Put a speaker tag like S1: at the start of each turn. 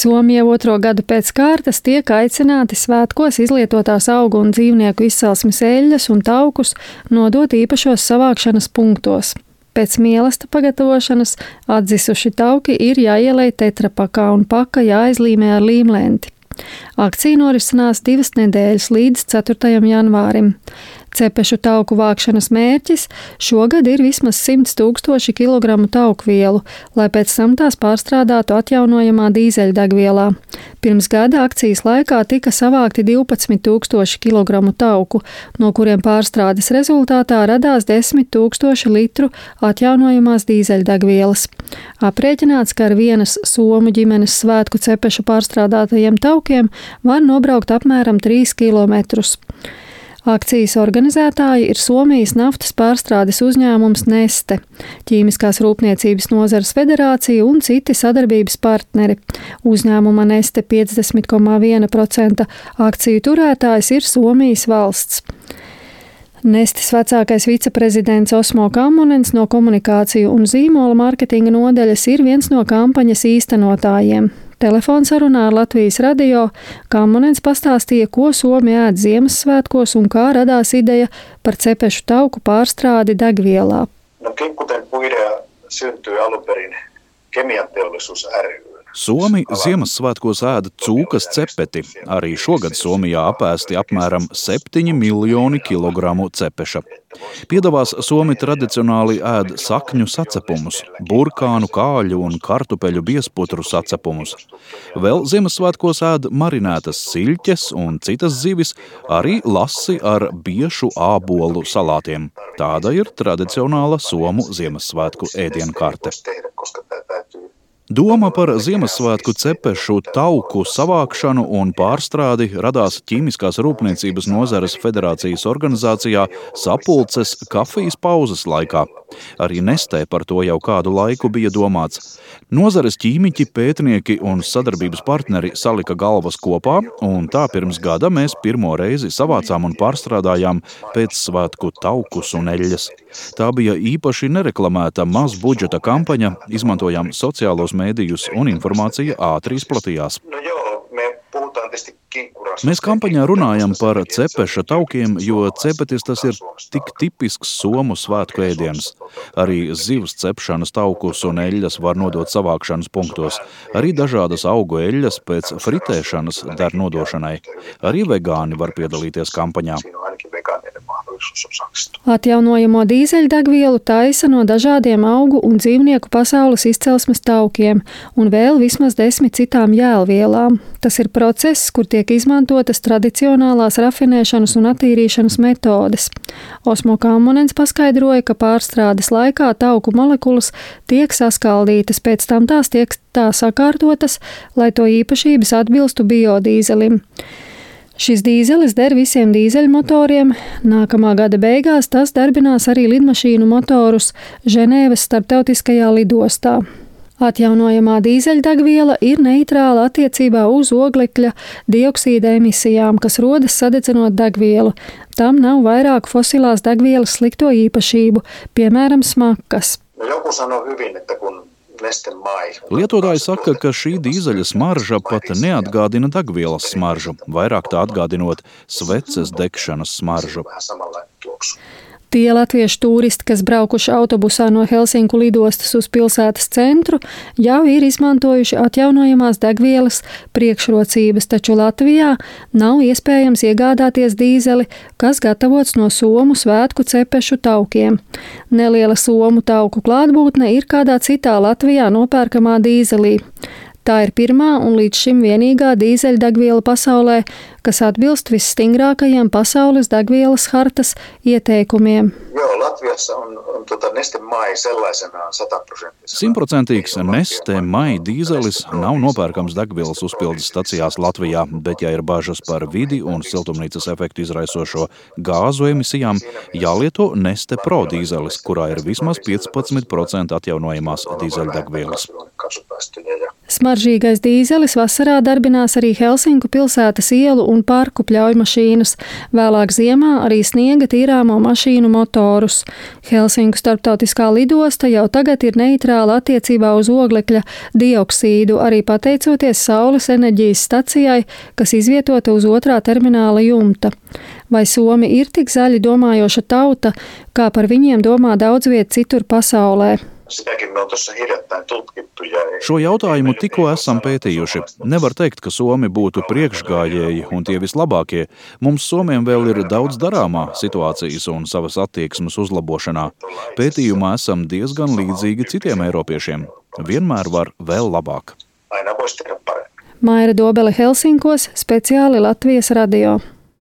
S1: Somija otro gadu pēc kārtas tiek aicināti svētkos izlietotās augu un dzīvnieku izcelsmes eļļas un taukus nodot īpašos savākšanas punktos. Pēc mīlesta pagatavošanas atdzisuši tauki ir jāielej tetrapakā un paka jāizlīmē ar līmlenti. Akcija norisinās 2 nedēļas līdz 4. janvārim. Cepešu tauku vākšanas mērķis šogad ir vismaz 100 000 kilogramu taukvielu, lai pēc tam tās pārstrādātu atjaunojamā dīzeļdegvielā. Pirms gada akcijas laikā tika savākti 12 000 kilogramu tauku, no kuriem pārstrādes rezultātā radās 10 000 litru atjaunojamās dīzeļdegvielas. Aprēķināts, ka ar vienas somu ģimenes svētku cepešu pārstrādātajiem taukiem var nobraukt apmēram 3 kilometrus. Akcijas organizētāji ir Somijas naftas pārstrādes uzņēmums Neste, Ķīmiskās rūpniecības nozares federācija un citi sadarbības partneri. Uzņēmuma Neste 50,1% akciju turētājs ir Somijas valsts. Nestes vecākais viceprezidents Osmo Kammonens no komunikāciju un zīmola mārketinga nodaļas ir viens no kampaņas īstenotājiem. Telefonsarunā ar Latvijas radio Kammonens pastāstīja, ko Somi ēd Ziemassvētkos un kā radās ideja par cepešu tauku pārstrādi degvielā.
S2: Kinkuten puidea syntyi alun perin Kemianteollisuus ry.
S3: Somi Ziemassvētkos ēda cūkas cepeti. Arī šogad Somijā apēsti apmēram 7 miljoni kilogramu cepeša. Piedavās Somi tradicionāli ēd sakņu sacepumus, burkānu, kāļu un kartupeļu biezputru sacepumus. Vēl Ziemassvētkos ēd marinētas siļķes un citas zivis, arī lasi ar biešu ābolu salātiem. Tāda ir tradicionāla Somu Ziemassvētku ēdienkarte. Doma par Ziemassvētku cepešu tauku savākšanu un pārstrādi radās Ķīmiskās rūpniecības nozares federācijas organizācijā Sapulces kafijas pauzes laikā. Arī Nestē par to jau kādu laiku bija domāts. Nozares ķīmiķi, pētnieki un sadarbības partneri salika galvas kopā, un tā pirms gada mēs pirmo reizi savācām un pārstrādājām pēcsvētku taukus un eļļas. Tā bija īpaši nereklamēta mazbudžeta kampaņa, izmantojām sociālos mēdījus un informācija ātri izplatījās. Mēs kampaņā runājam par cepeša taukiem, jo cepetis tas ir tik tipisks Somu svētku ēdiens. Arī zivs cepšanas taukus un eļļas var nodot savākšanas punktos. Arī dažādas augu eļļas pēc fritēšanas der nodošanai. Arī vegāni var piedalīties kampaņā.
S1: Atjaunojamo dīzeļdegvielu taisa no dažādiem augu un dzīvnieku pasaules izcelsmes taukiem un vēl vismaz 10 citām jēlvielām. Tas ir process, kur tiek izmantotas tradicionālās rafinēšanas un attīrīšanas metodes. Osmo Kammonens paskaidroja, ka pārstrādes laikā tauku molekulas tiek saskaldītas, pēc tam tās tiek tā sakārtotas, lai to īpašības atbilstu biodīzelim. Šis dīzelis der visiem dīzeļmotoriem. Nākamā gada beigās tas darbinās arī lidmašīnu motorus Ženēvas starptautiskajā lidostā. Atjaunojamā dīzeļdegviela ir neitrāla attiecībā uz oglekļa dioksīda emisijām, kas rodas sadedzinot degvielu. Tam nav vairāk fosilās degvielas slikto īpašību, piemēram, smakas.
S2: Joku sanoo hyvin, että kun
S3: lietotāji saka, ka šī dīzeļa smarža pat neatgādina degvielas smaržu, vairāk tā atgādinot sveces degšanas smaržu.
S1: Tie latviešu tūristi, kas braukuši autobusā no Helsinku lidostas uz pilsētas centru, jau ir izmantojuši atjaunojamās degvielas priekšrocības, taču Latvijā nav iespējams iegādāties dīzeli, kas gatavots no Somu svētku cepešu taukiem. Neliela Somu tauku klātbūtne ir kādā citā Latvijā nopērkamā dīzelī. Tā ir pirmā un līdz šim vienīgā dīzeļdegviela pasaulē, kas atbilst visstingrākajiem pasaules degvielas hartas ieteikumiem.
S2: Neste Mai sellaisenaan 100%.
S3: 100% Neste Mai dīzelis nav nopērkams degvielas uzpildes stacijās Latvijā, bet ja ir bažas par vidi un siltumnīcas efektu izraisošo gāzu emisijām, jālieto Neste Pro dīzelis, kurā ir vismaz 15% atjaunojamās dīzeļdegvielas.
S1: Smaržīgais dīzelis vasarā darbinās arī Helsinku pilsētas ielu un parku pļaujmašīnas, vēlāk ziemā arī sniega tīrāmo mašīnu motorus. Helsinku starptautiskā lidosta jau tagad ir neitrāla attiecībā uz oglekļa dioksīdu, arī pateicoties saules enerģijas stacijai, kas izvietota uz otrā termināla jumta. Vai Somi ir tik zaļi domājoša tauta, kā par viņiem domā daudz viet citur pasaulē?
S2: Sitäkin me on tuossa hiljattain tutkittu.
S3: Šo jautājumu tikko esam pētījuši. Nevar teikt, ka Somi būtu priekšgājēji un tie vislabākie. Mums Somiem vēl ir daudz darāmā situācijas un savas attieksmes uzlabošanā. Pētījumā esam diezgan līdzīgi citiem eiropiešiem. Vienmēr var vēl labāk.
S2: Aina voisi tehdä paremmin.
S1: Maira Dobele Helsinkos, speciāli Latvijas radio.